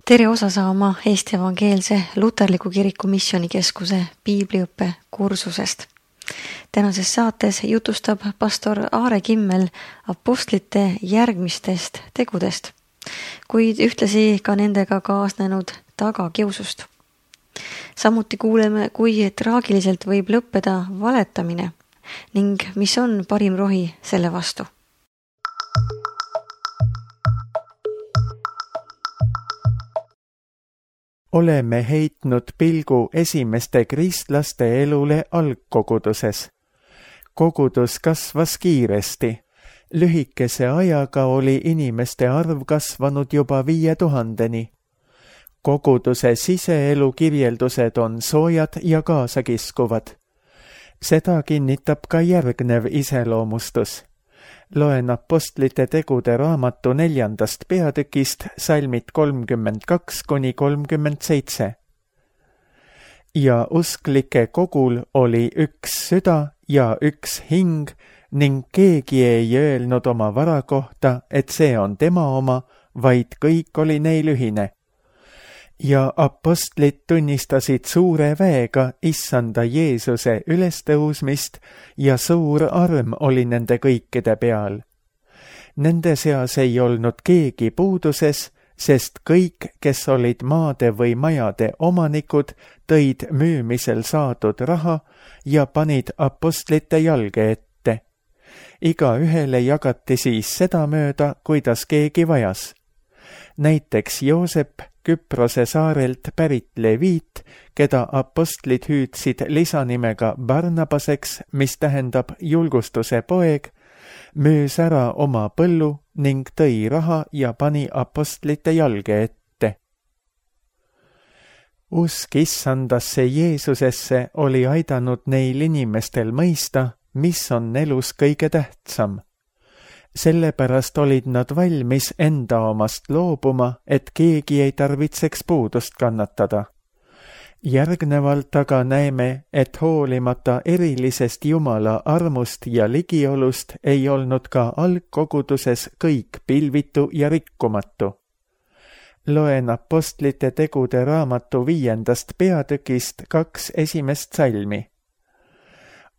Tere osa saama Eesti Evangeelse Luterliku Kiriku Missioonikeskuse piibliõppe kursusest. Tänases saates jutustab pastor Aare Kimmel apostlite järgmistest tegudest, kuid ühtlasi ka nendega kaasnenud tagakiusust. Samuti kuuleme, kui traagiliselt võib lõppeda valetamine ning mis on parim rohi selle vastu. Oleme heitnud pilgu esimeste kristlaste elule algkoguduses. Kogudus kasvas kiiresti. Lühikese ajaga oli inimeste arv kasvanud juba 5000-ni. Koguduse siseelu kirjeldused on soojad ja kaasakiskuvad. Seda kinnitab ka järgnev iseloomustus. Loen apostlite tegude raamatu 4. peatükist salmid 32-37. Ja usklike kogul oli üks süda ja üks hing ning keegi ei öelnud oma vara kohta, et see on tema oma, vaid kõik oli neil ühine. Ja apostlid tunnistasid suure väega issanda Jeesuse ülestõusmist ja suur arm oli nende kõikide peal. Nende seas ei olnud keegi puuduses, sest kõik, kes olid maade või majade omanikud, tõid müümisel saadud raha ja panid apostlite jalge ette. Igaühele jagati siis sedamööda, kuidas keegi vajas. Näiteks Joosep, Küprose saarelt pärit Leviit, keda apostlid hüüdsid lisanimega Barnabaseks, mis tähendab julgustuse poeg, müüs ära oma põllu ning tõi raha ja pani apostlite jalge ette. Usk issandasse Jeesusesse oli aidanud neil inimestel mõista, mis on elus kõige tähtsam. Sellepärast olid nad valmis enda omast loobuma, et keegi ei tarvitseks puudust kannatada. Järgnevalt aga näeme, et hoolimata erilisest Jumala armust ja ligiolust ei olnud ka algkoguduses kõik pilvitu ja rikkumatu. Loen apostlite tegude raamatu 5. peatükist 2 esimest salmi.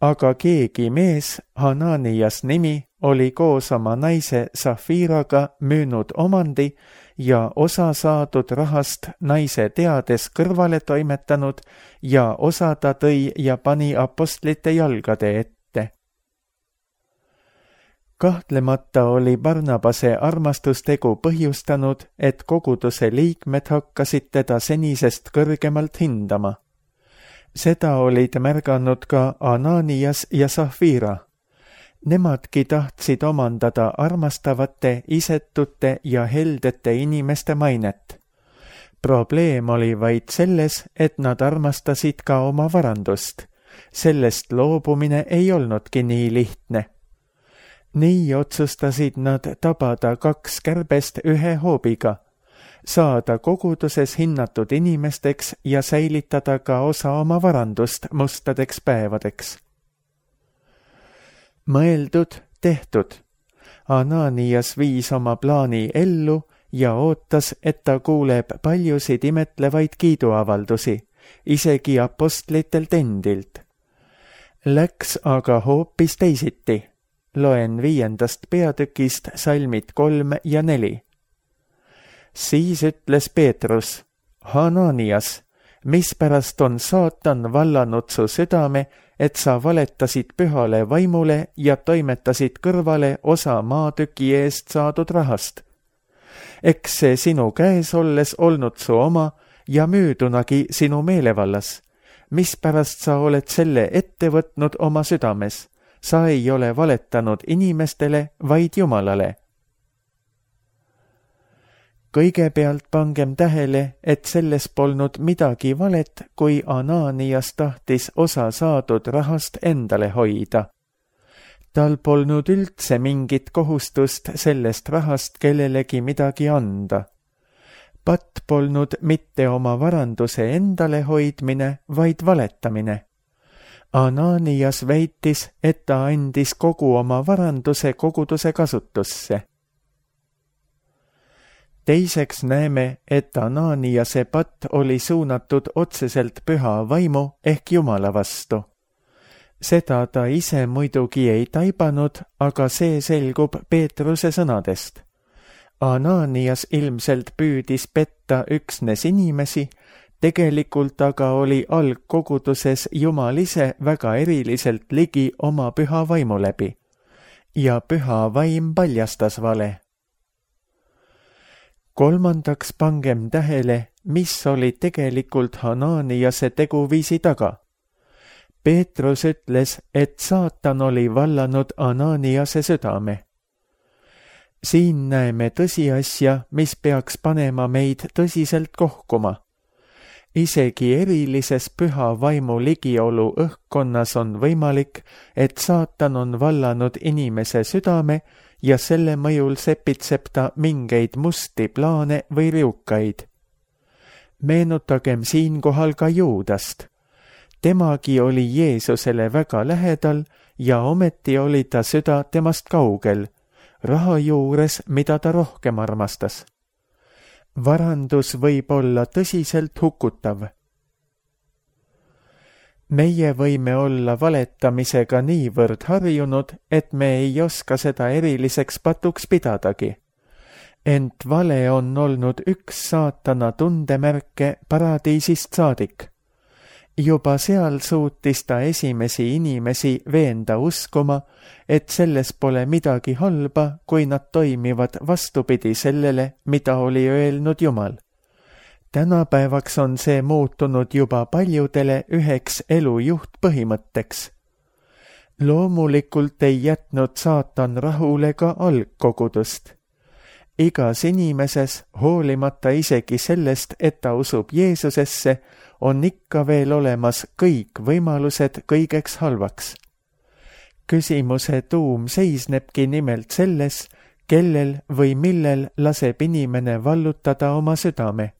Aga keegi mees, Hananias nimi, oli koos oma naise Safiraga müünud omandi ja osa saadud rahast naise teades kõrvale toimetanud ja osa ta tõi ja pani apostlite jalgade ette. Kahtlemata oli Barnabase armastustegu põhjustanud, et koguduse liikmed hakkasid teda senisest kõrgemalt hindama. Seda olid märganud ka Ananias ja Safira. Nemadki tahtsid omandada armastavate, isetute ja heldete inimeste mainet. Probleem oli vaid selles, et nad armastasid ka oma varandust. Sellest loobumine ei olnudki nii lihtne. Nii otsustasid nad tabada 2 kärbest ühe hoobiga, saada koguduses hinnatud inimesteks ja säilitada ka osa oma varandust mustadeks päevadeks. Mõeldud, tehtud. Ananias viis oma plaani ellu ja ootas, et ta kuuleb paljusid imetlevaid kiiduavaldusi, isegi apostlitelt endilt. Läks aga hoopis teisiti. Loen 5. peatükist salmid 3 ja 4. Siis ütles Peetrus, Hananias, mispärast on saatan vallanud su südame, et sa valetasid pühale vaimule ja toimetasid kõrvale osa maatüki eest saadud rahast. Eks see sinu käes olles olnud su oma ja müüdunagi sinu meelevallas. Mispärast sa oled selle ette võtnud oma südames? Sa ei ole valetanud inimestele, vaid Jumalale. Kõigepealt pangem tähele, et selles polnud midagi valet, kui Ananias tahtis osa saadud rahast endale hoida. Tal polnud üldse mingit kohustust sellest rahast kellelegi midagi anda. Patt polnud mitte oma varanduse endale hoidmine, vaid valetamine. Ananias väitis, et ta andis kogu oma varanduse koguduse kasutusse. Teiseks näeme, et Ananiase patt oli suunatud otseselt püha vaimu ehk Jumala vastu. Seda ta ise muidugi ei taibanud, aga see selgub Peetruse sõnadest. Ananias ilmselt püüdis petta üksnes inimesi, tegelikult aga oli algkoguduses Jumal ise väga eriliselt ligi oma püha vaimu läbi. Ja püha vaim paljastas vale. Kolmandaks pangem tähele, mis oli tegelikult Ananiase teguviisi taga. Peetrus ütles, et saatan oli vallanud Ananiase südame. Siin näeme tõsiasja, mis peaks panema meid tõsiselt kohkuma. Isegi erilises püha vaimu ligiolu õhkkonnas on võimalik, et saatan on vallanud inimese südame ja selle mõjul sepitseb ta mingeid musti plaane või riukaid. Meenutagem siinkohal ka Juudast. Temagi oli Jeesusele väga lähedal ja ometi oli ta süda temast kaugel, raha juures, mida ta rohkem armastas. Varandus võib olla tõsiselt hukutav. Meie võime olla valetamisega niivõrd harjunud, et me ei oska seda eriliseks patuks pidadagi. Ent vale on olnud üks saatana tundemärke paradiisist saadik. Juba seal suutis ta esimesi inimesi veenda uskuma, et selles pole midagi halba, kui nad toimivad vastupidi sellele, mida oli öelnud Jumal. Tänapäevaks on see muutunud juba paljudele üheks elu juhtpõhimõtteks. Loomulikult ei jätnud saatan rahule ka algkogudust. Igas inimeses, hoolimata isegi sellest, et ta usub Jeesusesse, on ikka veel olemas kõik võimalused kõigeks halvaks. Küsimuse tuum seisnebki nimelt selles, kellel või millel laseb inimene vallutada oma südame.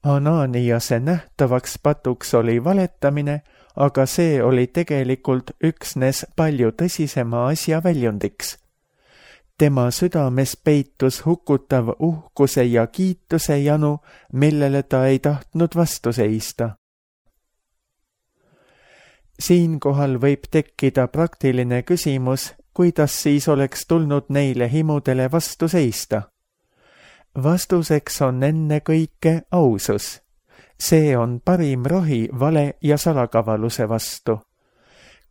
Ananiase nähtavaks patuks oli valetamine, aga see oli tegelikult üksnes palju tõsisema asja väljundiks. Tema südames peitus hukutav uhkuse ja kiituse janu, millele ta ei tahtnud vastu seista. Siinkohal võib tekkida praktiline küsimus, kuidas siis oleks tulnud neile himudele vastu seista. Vastuseks on ennekõike ausus. See on parim rohi vale ja salakavaluse vastu.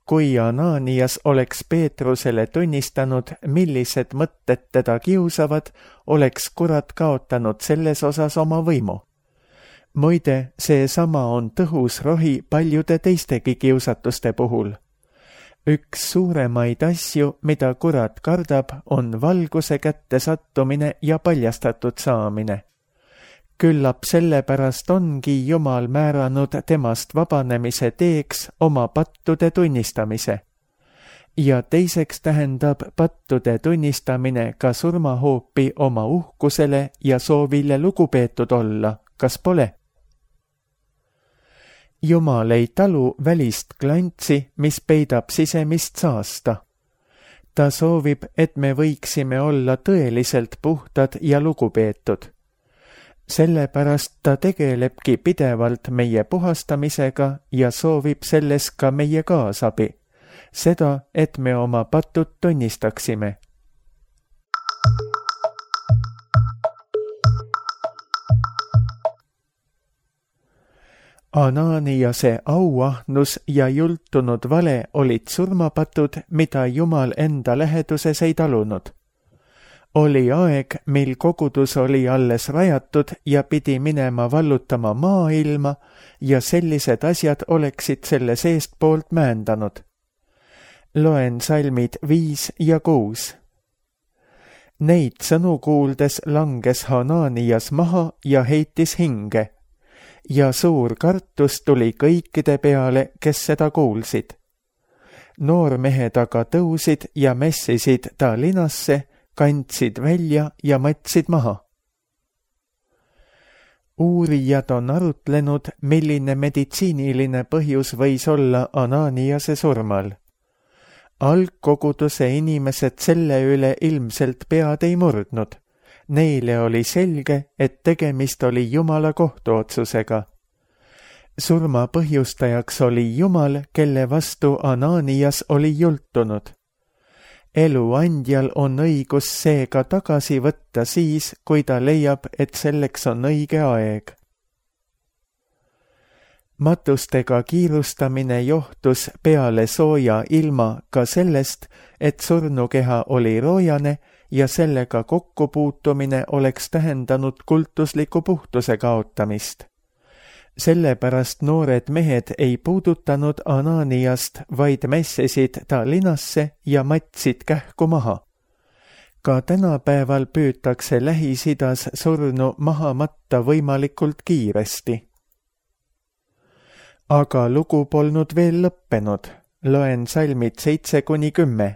Kui Ananias oleks Peetrusele tunnistanud, millised mõtted teda kiusavad, oleks kurat kaotanud selles osas oma võimu. Muide, seesama on tõhus rohi paljude teistegi kiusatuste puhul. Üks suuremaid asju, mida kurat kardab, on valguse kätte sattumine ja paljastatud saamine. Küllap sellepärast ongi Jumal määranud temast vabanemise teeks oma pattude tunnistamise. Ja teiseks tähendab pattude tunnistamine ka surmahoopi oma uhkusele ja soovile lugupeetud olla, kas pole? Jumal ei talu välist klantsi, mis peidab sisemist saasta. Ta soovib, et me võiksime olla tõeliselt puhtad ja lugupeetud. Sellepärast ta tegelebki pidevalt meie puhastamisega ja soovib selles ka meie kaasabi, seda, et me oma patud tunnistaksime. Ananiase auahnus ja jultunud vale olid surmapatud, mida Jumal enda läheduses ei talunud. Oli aeg, mil kogudus oli alles rajatud ja pidi minema vallutama maailma ja sellised asjad oleksid selle seestpoolt mäendanud. Loen salmid 5 ja 6. Neid sõnu kuuldes langes Ananias maha ja heitis hinge. Ja suur kartus tuli kõikide peale, kes seda kuulsid. Noormehed aga tõusid ja messisid ta linasse, kandsid välja ja matsid maha. Uurijad on arutlenud, milline meditsiiniline põhjus võis olla Ananiase surmal. Algkoguduse inimesed selle üle ilmselt pead ei murdnud. neile oli selge, et tegemist oli Jumala kohtuotsusega. Surma põhjustajaks oli Jumal, kelle vastu Ananias oli jultunud. Elu andjal on õigus seega tagasi võtta siis, kui ta leiab, et selleks on õige aeg. Matustega kiirustamine johtus peale sooja ilma ka sellest, et surnukeha oli roojane ja sellega kokkupuutumine oleks tähendanud kultusliku puhtuse kaotamist. Sellepärast noored mehed ei puudutanud Ananiast, vaid mässisid ta linasse ja matsid kähku maha. Ka tänapäeval püütakse Lähis-Idas surnu maha matta võimalikult kiiresti. Aga lugu polnud veel lõppenud. Loen salmid 7-10.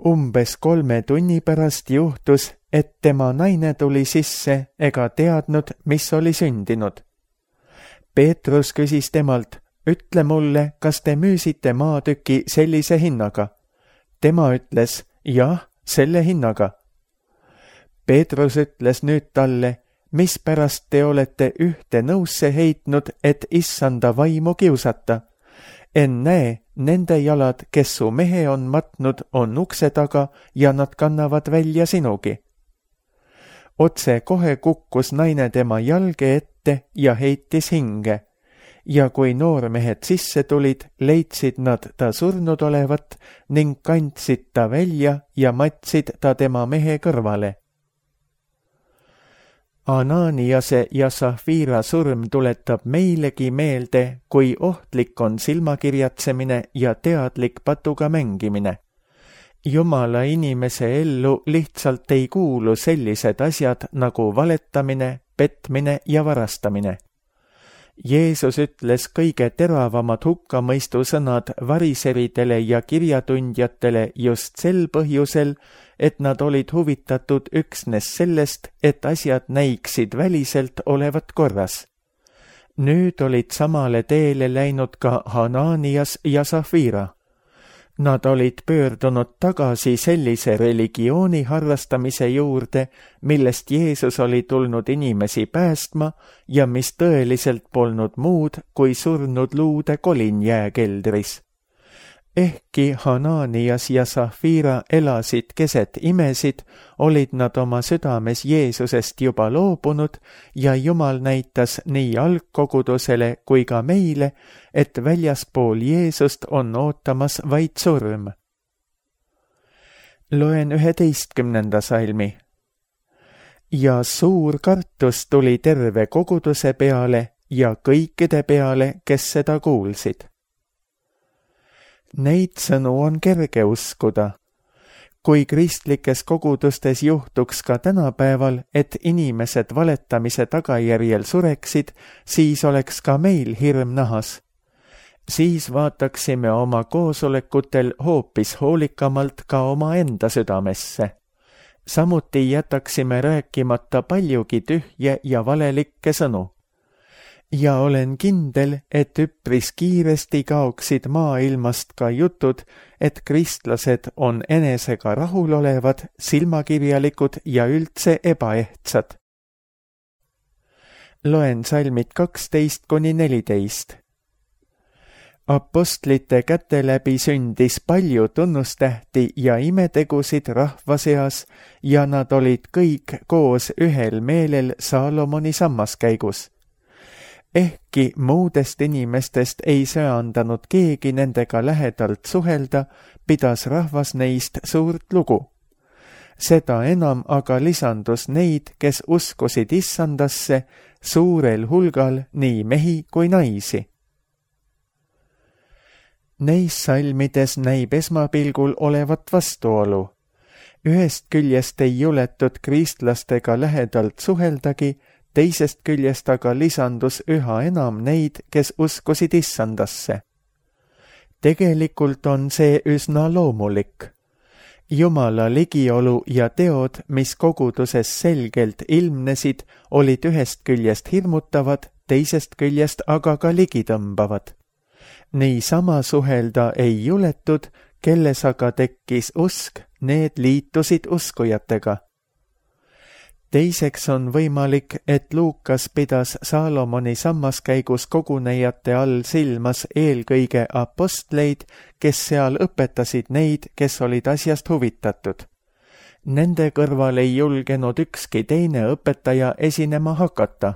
Umbes 3 tunni pärast juhtus, et tema naine tuli sisse ega teadnud, mis oli sündinud. Peetrus küsis temalt, ütle mulle, kas te müüsite maatüki sellise hinnaga? Tema ütles, jah, selle hinnaga. Peetrus ütles nüüd talle, mispärast te olete ühte nõusse heitnud, et issanda vaimu kiusata? Ennäe, nende jalad, kes su mehe on matnud, on ukse taga ja nad kannavad välja sinugi. Otse kohe kukkus naine tema jalge ette ja heitis hinge. Ja kui noormehed sisse tulid, leidsid nad ta surnud olevat ning kandsid ta välja ja matsid ta tema mehe kõrvale. Ananiase ja Safira surm tuletab meilegi meelde, kui ohtlik on silmakirjatsemine ja teadlik patuga mängimine. Jumala inimese ellu lihtsalt ei kuulu sellised asjad nagu valetamine, petmine ja varastamine. Jeesus ütles kõige teravamad hukkamõistusõnad variseridele ja kirjatundjatele just sel põhjusel, et nad olid huvitatud üksnes sellest, et asjad näiksid väliselt olevat korras. Nüüd olid samale teele läinud ka Ananias ja Safira. Nad olid pöördunud tagasi sellise religiooni harrastamise juurde, millest Jeesus oli tulnud inimesi päästma ja mis tõeliselt polnud muud kui surnud luude kolin jääkeldris. Ehkki Ananias ja Safira elasid keset imesid, olid nad oma südames Jeesusest juba loobunud ja Jumal näitas nii algkogudusele kui ka meile, et väljaspool Jeesust on ootamas vaid surm. Loen 11. salmi. Ja suur kartus tuli terve koguduse peale ja kõikide peale, kes seda kuulsid. Neid sõnu on kerge uskuda. Kui kristlikes kogudustes juhtuks ka tänapäeval, et inimesed valetamise tagajärjel sureksid, siis oleks ka meil hirm nahas. Siis vaataksime oma koosolekutel hoopis hoolikamalt ka oma enda südamesse. Samuti jätaksime rääkimata paljugi tühje ja valelikke sõnu. Ja olen kindel, et üpris kiiresti kaoksid maailmast ka jutud, et kristlased on enesega rahulolevad, silmakirjalikud ja üldse ebaehtsad. Loen salmid 12-14. Apostlite käte läbi sündis palju tunnustähti ja imetegusid rahva seas ja nad olid kõik koos ühel meelel Saalomoni sammaskäigus. Ehkki muudest inimestest ei söandanud keegi nendega lähedalt suhelda, pidas rahvas neist suurt lugu. Seda enam aga lisandus neid, kes uskusid issandasse, suurel hulgal nii mehi kui naisi. Neis salmides näib esmapilgul olevat vastuolu. Ühest küljest ei juletud kristlastega lähedalt suheldagi, teisest küljest aga lisandus üha enam neid, kes uskusid issandasse. Tegelikult on see üsna loomulik. Jumala ligiolu ja teod, mis koguduses selgelt ilmnesid, olid ühest küljest hirmutavad, teisest küljest aga ka ligitõmbavad. Niisama suhelda ei juletud, kelles aga tekkis usk, need liitusid uskujatega. Teiseks on võimalik, et Luukas pidas Saalomoni sammaskäigus kogunejate all silmas eelkõige apostleid, kes seal õpetasid neid, kes olid asjast huvitatud. Nende kõrval ei julgenud ükski teine õpetaja esinema hakata.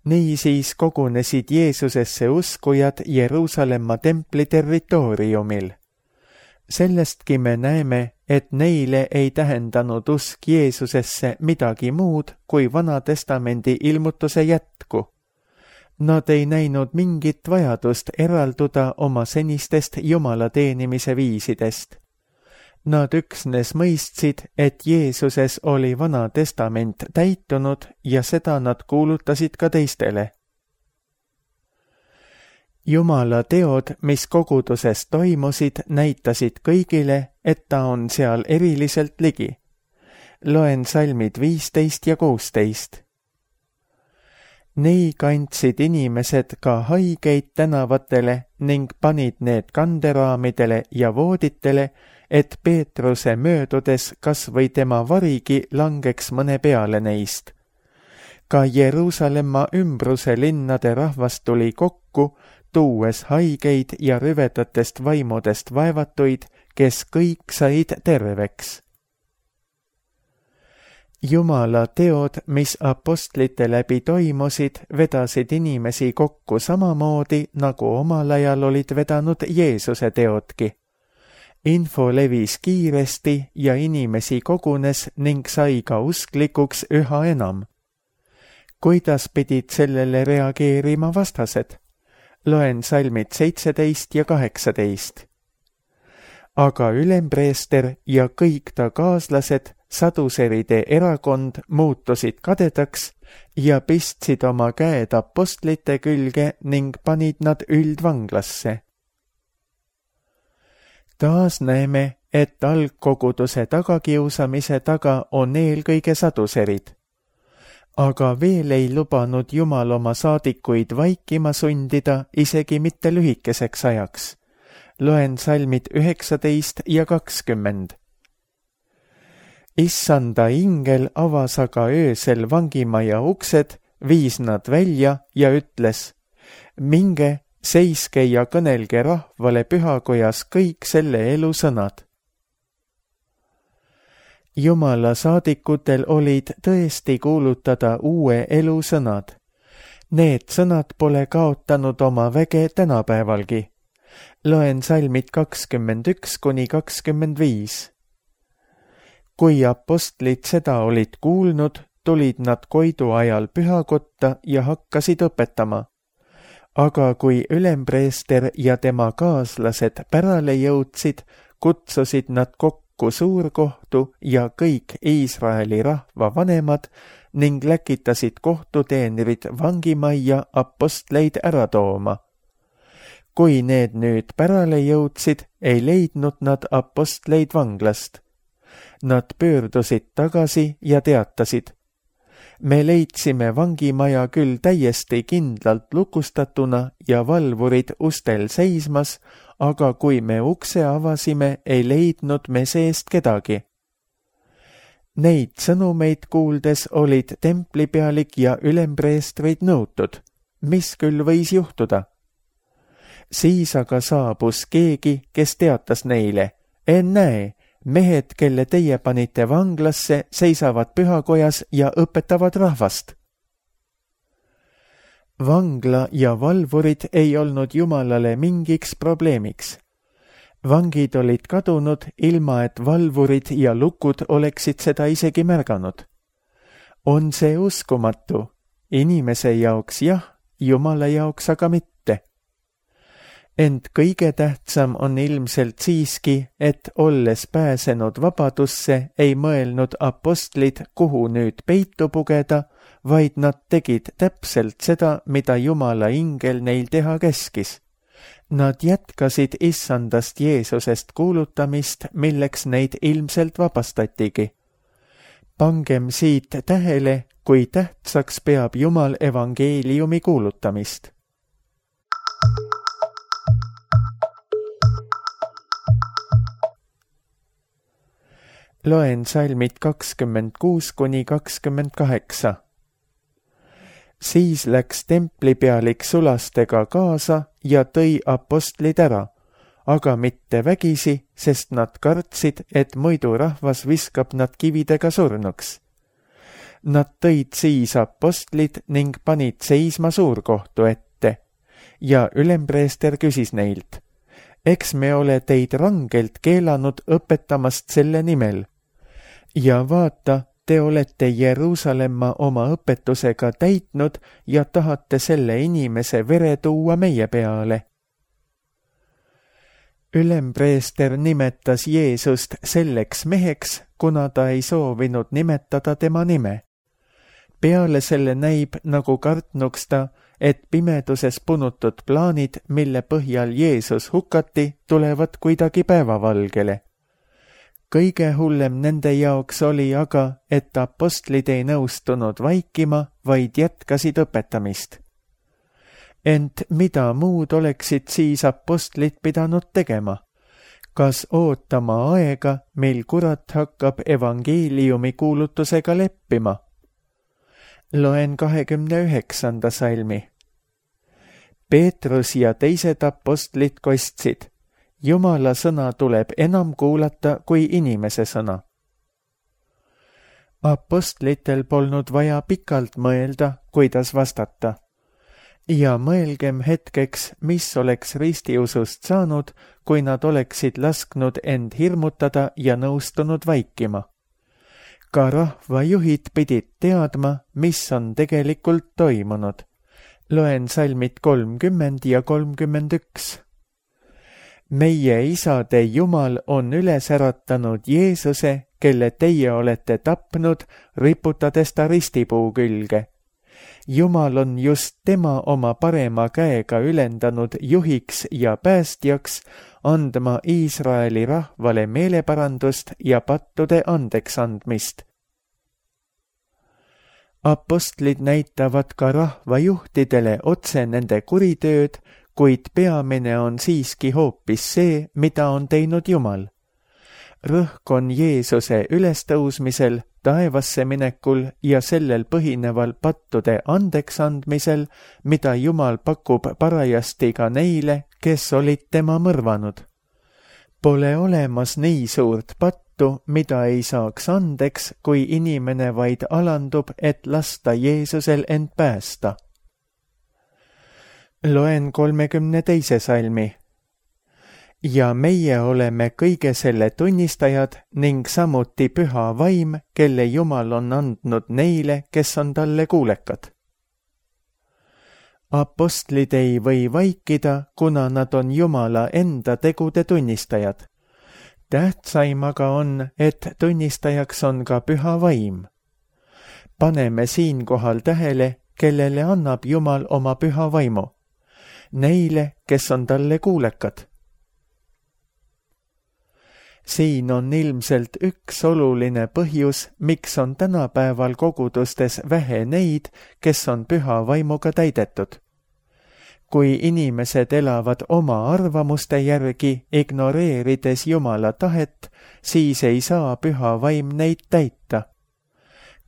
Niisiis kogunesid Jeesusesse uskujad Jeruusalemma templi territooriumil. Sellestki me näeme, et neile ei tähendanud usk Jeesusesse midagi muud kui Vana Testamendi ilmutuse jätku. Nad ei näinud mingit vajadust eralduda oma senistest Jumala teenimise viisidest. Nad üksnes mõistsid, et Jeesuses oli Vana Testament täitunud ja seda nad kuulutasid ka teistele. Jumala teod, mis koguduses toimusid, näitasid kõigile, et ta on seal eriliselt ligi. Loen salmid 15 ja 16. Nii kandsid inimesed ka haigeid tänavatele ning panid need kanderaamidele ja vooditele, et Peetruse möödudes kas või tema varigi langeks mõne peale neist. Ka Jeruusalemma ümbruse linnade rahvas tuli kokku, tuues haigeid ja rüvedatest vaimudest vaevatuid, kes kõik said terveks. Jumala teod, mis apostlite läbi toimusid, vedasid inimesi kokku samamoodi, nagu omal ajal olid vedanud Jeesuse teodki. Info levis kiiresti ja inimesi kogunes ning sai ka usklikuks üha enam. Kuidas pidid sellele reageerima vastased? Loen salmid 17 ja 18. Aga ülempreester ja kõik ta kaaslased, saduseride erakond, muutusid kadedaks ja pistsid oma käed apostlite külge ning panid nad üldvanglasse. Taas näeme, et algkoguduse tagakiusamise taga on eelkõige saduserid. Aga veel ei lubanud Jumal oma saadikuid vaikima sundida isegi mitte lühikeseks ajaks. Loen salmid 19 ja 20. Issanda ingel avas aga öösel vangimaja uksed, viis nad välja ja ütles: minge, seiske ja kõnelge rahvale pühakojas kõik selle elu sõnad. Jumala saadikutel olid tõesti kuulutada uue elu sõnad. Need sõnad pole kaotanud oma väge tänapäevalgi. Loen salmid 21 kuni 25. Kui apostlid seda olid kuulnud, tulid nad Koidu ajal pühakotta ja hakkasid õpetama. Aga kui ülempreester ja tema kaaslased pärale jõudsid, kutsusid nad kokku suurkohtu ja kõik Iisraeli rahva vanemad ning läkitasid kohtuteenrid vangimajja apostleid ära tooma. Kui need nüüd pärale jõudsid, ei leidnud nad apostleid vanglast. Nad pöördusid tagasi ja teatasid: me leidsime vangimaja küll täiesti kindlalt lukustatuna ja valvurid ustel seismas, aga kui me ukse avasime, ei leidnud me seest kedagi. Neid sõnumeid kuuldes olid templipealik ja ülempreestrid nõutud, mis küll võis juhtuda. Siis aga saabus keegi, kes teatas neile: ennäe, mehed, kelle teie panite vanglasse, seisavad pühakojas ja õpetavad rahvast. Vangla ja valvurid ei olnud Jumalale mingiks probleemiks. Vangid olid kadunud, ilma et valvurid ja lukud oleksid seda isegi märganud. On see uskumatu? Inimese jaoks jah, Jumala jaoks aga mitte. Ent kõige tähtsam on ilmselt siiski, et olles pääsenud vabadusse, ei mõelnud apostlid, kuhu nüüd peitu pugeda, vaid nad tegid täpselt seda, mida Jumala ingel neil teha käskis. Nad jätkasid issandast Jeesusest kuulutamist, milleks neid ilmselt vabastatigi. Pangem siit tähele, kui tähtsaks peab Jumal evangeeliumi kuulutamist. Loen salmid 26–28. Siis läks templipealik sulastega kaasa ja tõi apostlid ära, aga mitte vägisi, sest nad kartsid, et muidu rahvas viskab nad kividega surnuks. Nad tõid siis apostlid ning panid seisma suurkohtu ette ja ülempreester küsis neilt: eks me ole teid rangelt keelanud õpetamast selle nimel. Ja vaata, te olete Jeruusalemma oma õpetusega täitnud ja tahate selle inimese vere tuua meie peale. Ülempreester nimetas Jeesust selleks meheks, kuna ta ei soovinud nimetada tema nime. Peale selle näib, nagu kartnuks ta, et pimeduses punutud plaanid, mille põhjal Jeesus hukati, tulevad kuidagi päevavalgele. Kõige hullem nende jaoks oli aga, et apostlid ei nõustunud vaikima, vaid jätkasid õpetamist. Ent mida muud oleksid siis apostlid pidanud tegema? Kas ootama aega, mil kurat hakkab evangeeliumi kuulutusega leppima? Loen 29. salmi. Peetrus ja teised apostlid kostsid: Jumala sõna tuleb enam kuulata kui inimese sõna. Apostlitel polnud vaja pikalt mõelda, kuidas vastata. Ja mõelgem hetkeks, mis oleks ristiusust saanud, kui nad oleksid lasknud end hirmutada ja nõustunud vaikima. Ka rahvajuhid pidid teadma, mis on tegelikult toimunud. Loen salmid 30 ja 31. Meie isade Jumal on üles äratanud Jeesuse, kelle teie olete tapnud, riputades ta ristipuu külge. Jumal on just tema oma parema käega ülendanud juhiks ja päästjaks, andma Iisraeli rahvale meeleparandust ja pattude andeks andmist. Apostlid näitavad ka rahvajuhtidele otse nende kuritööd, kuid peamine on siiski hoopis see, mida on teinud Jumal. Rõhk on Jeesuse ülestõusmisel, taevasse minekul ja sellel põhineval pattude andeks andmisel, mida Jumal pakub parajasti ka neile, kes olid tema mõrvanud. Pole olemas nii suurt pattu, mida ei saaks andeks, kui inimene vaid alandub, et lasta Jeesusel end päästa. Loen 32. salmi. Ja meie oleme kõige selle tunnistajad ning samuti püha vaim, kelle Jumal on andnud neile, kes on talle kuulekad. Apostlid ei või vaikida, kuna nad on Jumala enda tegude tunnistajad. Tähtsaim aga on, et tunnistajaks on ka püha vaim. Paneme siinkohal tähele, kellele annab Jumal oma püha vaimu. Neile, kes on talle kuulekad. Siin on ilmselt üks oluline põhjus, miks on tänapäeval kogudustes vähe neid, kes on püha vaimuga täidetud. Kui inimesed elavad oma arvamuste järgi, ignoreerides Jumala tahet, siis ei saa püha vaim neid täita.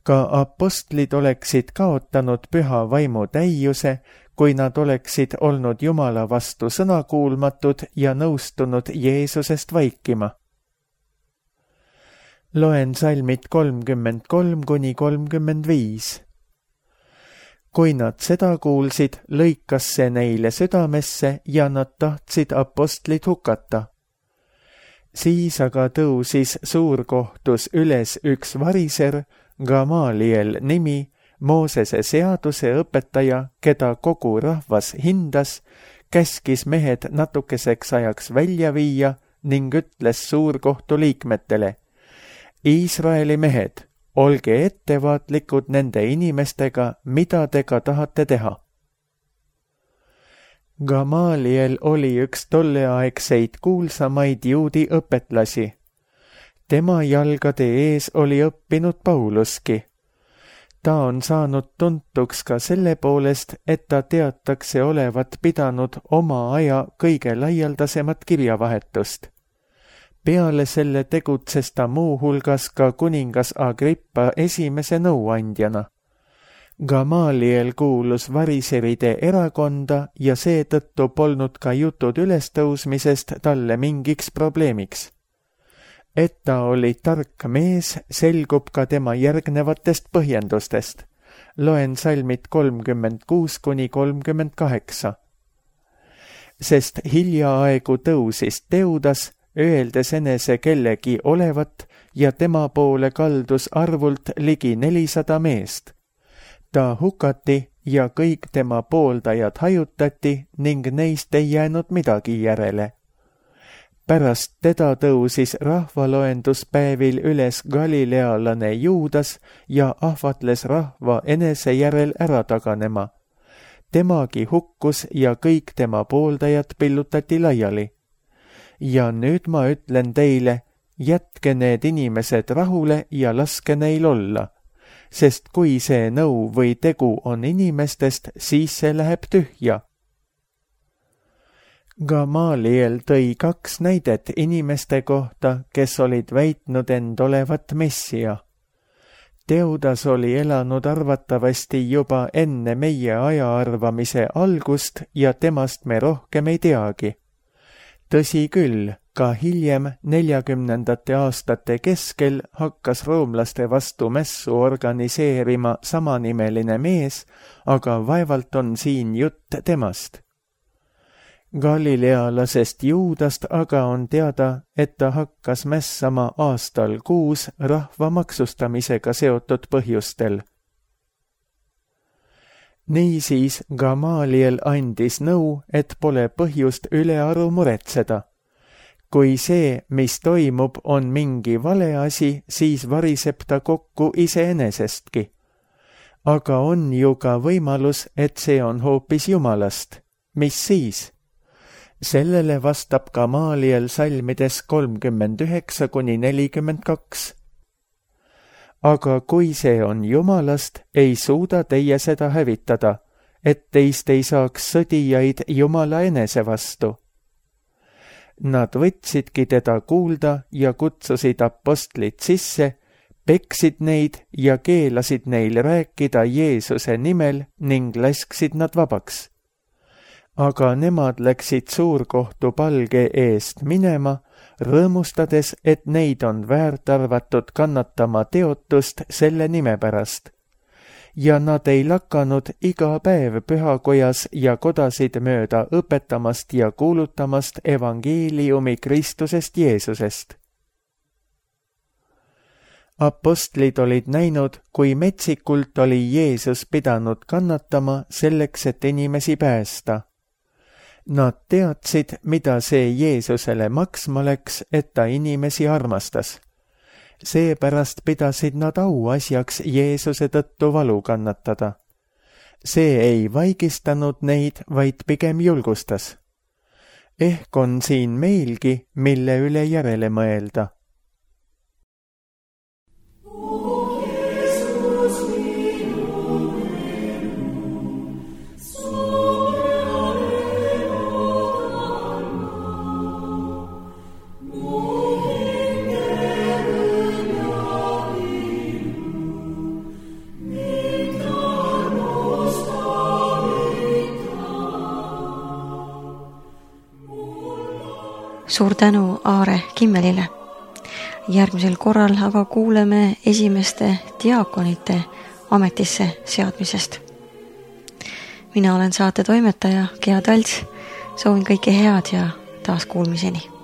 Ka apostlid oleksid kaotanud püha vaimu täiuse, kui nad oleksid olnud Jumala vastu sõnakuulmatud ja nõustunud Jeesusest vaikima. Loen salmid 33–35. Kui nad seda kuulsid, lõikas see neile südamesse ja nad tahtsid apostlid hukata. Siis aga tõusis suurkohtus üles üks variser, Gamaliel nimi, Moosese seaduse õpetaja, keda kogu rahvas hindas, käskis mehed natukeseks ajaks välja viia ning ütles suurkohtu liikmetele: Iisraeli mehed, olge ettevaatlikud nende inimestega, mida te ka tahate teha. Gamaliel oli üks tolleaegseid kuulsamaid juudi õpetlasi. Tema jalgade ees oli õppinud Pauluski. Ta on saanud tuntuks ka selle poolest, et ta teatakse olevat pidanud oma aja kõige laialdasemat kirjavahetust. Peale selle tegutses ta muuhulgas ka kuningas Agrippa esimese nõuandjana. Gamaliel kuulus variseride erakonda ja seetõttu polnud ka jutud ülestõusmisest talle mingiks probleemiks. Et ta oli tark mees, selgub ka tema järgnevatest põhjendustest. Loen salmid 36–38. Sest hiljaaegu tõusis Teudas, öeldes enese kellegi olevat, ja tema poole kaldus arvult ligi 400 meest. Ta hukati ja kõik tema pooldajad hajutati ning neist ei jäänud midagi järele. Pärast teda tõusis rahvaloenduspäevil üles galilealane Juudas ja ahvatles rahva enese järel ära taganema. Temagi hukkus ja kõik tema pooldajad pillutati laiali. Ja nüüd ma ütlen teile, jätke need inimesed rahule ja laske neil olla, sest kui see nõu või tegu on inimestest, siis see läheb tühja. Gamaliel tõi 2 näidet inimeste kohta, kes olid väitnud end olevat messia. Teudas oli elanud arvatavasti juba enne meie ajaarvamise algust ja temast me rohkem ei teagi. Tõsi küll, ka hiljem 40. aastate keskel hakkas roomlaste vastu mässu organiseerima samanimeline mees, aga vaevalt on siin jutt temast. Galilealasest Juudast aga on teada, et ta hakkas mässama aastal 6 rahva maksustamisega seotud põhjustel. Niisiis Gamaliel andis nõu, et pole põhjust ülearu muretseda. Kui see, mis toimub, on mingi vale asi, siis variseb ta kokku iseenesestki. Aga on ju ka võimalus, et see on hoopis Jumalast. Mis siis? Sellele vastab Gamaliel salmides 39–42. Aga kui see on Jumalast, ei suuda teie seda hävitada, et teist ei saaks sõdijaid Jumala enese vastu. Nad võtsidki teda kuulda ja kutsusid apostlid sisse, peksid neid ja keelasid neil rääkida Jeesuse nimel ning lasksid nad vabaks. Aga nemad läksid suurkohtu palge eest minema, rõõmustades, et neid on väärt arvatud kannatama teotust selle nime pärast. Ja nad ei lakanud iga päev pühakojas ja kodasid mööda õpetamast ja kuulutamast evangeeliumi Kristusest Jeesusest. Apostlid olid näinud, kui metsikult oli Jeesus pidanud kannatama selleks, et inimesi päästa. Nad teadsid, mida see Jeesusele maksma läks, et ta inimesi armastas. Seepärast pidasid nad auasjaks Jeesuse tõttu valu kannatada. See ei vaigistanud neid, vaid pigem julgustas. Ehk on siin meilgi, mille üle järele mõelda. Suur tänu Aare Kimmelile. Järgmisel korral aga kuuleme esimeste diaakonite ametisse seadmisest. Mina olen saate toimetaja Gea Talts. Soovin kõike head ja taas kuulmiseni.